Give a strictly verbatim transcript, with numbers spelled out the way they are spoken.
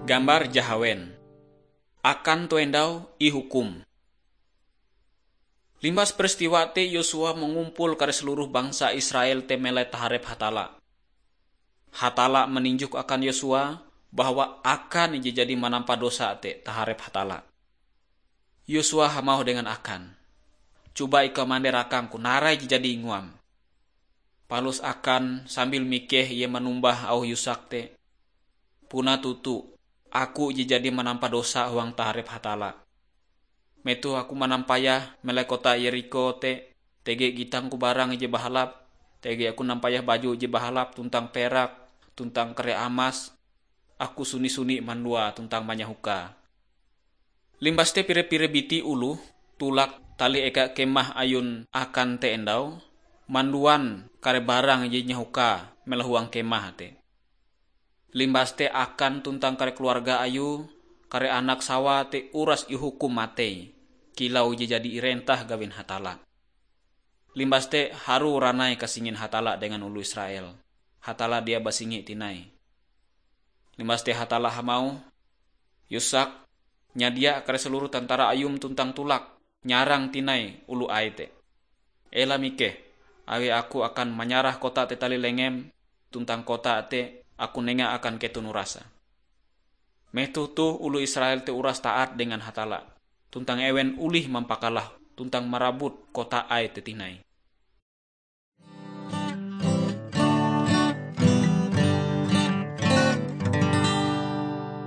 Gambar jahawen. Akan toh endau ihukum. Limbas peristiwa te Yosua mangumpul kare seluruh bangsa Israel te melai taharep Hatalla. Hatalla maninjok akan Yosua bahwa Akan ije jadi manampa dosa te taharep Hatalla. Yosua hamauh dengan Akan, "Coba ikau mande rakangku narai ije jadi inguam." Palus Akan sambil mikeh ie manumbah auh Yusak te, "Puna toto, aku ije jadi manampa dosa huang taharep Hatalla. Metoh aku manampayah melai kota Yerikho te, tege gitangku barang ije bahalap, tege aku nampayah baju ije bahalap tuntang perak, tuntang kare amas, aku suni-suni mandua tuntang manyahoka." Limbas te pire-pire biti oloh tulak talih eka kemah ayun Akan te endau, manduan kare barang je inyahoka melahuang kemah te. Limbas te Akan tuntang kare keluarga ayue, kare anak sawae te uras ihukum matei, kilau je jadi irentah gawin Hatalla. Limbas te harue ranai kasingin Hatalla dengan oloh Israel. Hatalla dia basingi tinai. Limbas te Hatalla hamauh, "Yusak, nyadia kare seluruh tentara ayum tuntang tulak nyarang tinai oloh Ae te. Ela mikeh, awi aku akan manyarah kota te talih lengem, tuntang kota te aku nenga akan keton urasa." Metoh toh oloh Israel te uras taat dengan Hatalla, tuntang ewen olih mampakalah tuntang marabut kota Ae te tinai.